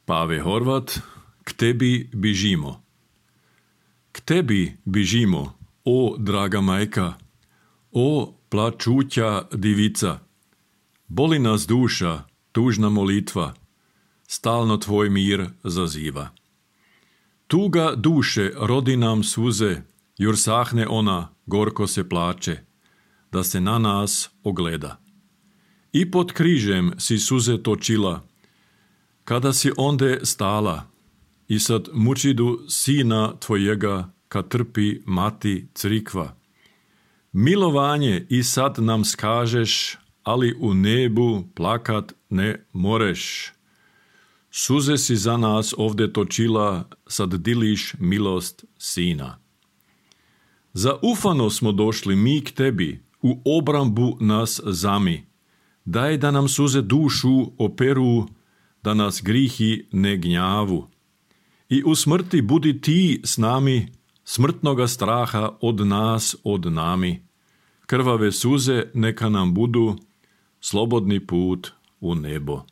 Pave Horvat, k tebi bižimo. K tebi bižimo, o draga majka, o plačuća divica. Boli nas duša, tužna molitva, stalno tvoj mir zaziva. Tuga duše rodi nam suze, jur sahne ona, gorko se plače, da se na nas ogleda. I pod križem si suze točila, kada si onde stala, i sad mučidu sina tvojega, kad trpi mati crikva. Milovanje i sad nam skažeš, ali u nebu plakat ne moreš. Suze si za nas ovde točila, sad diliš milost sina. Zaufano smo došli mi k tebi, u obrambu nas zami. Daj da nam suze dušu operu, da nas grihi ne gnjavu. I u smrti budi ti s nami, smrtnoga straha od nas od nami. Krvave suze neka nam budu slobodni put u nebo.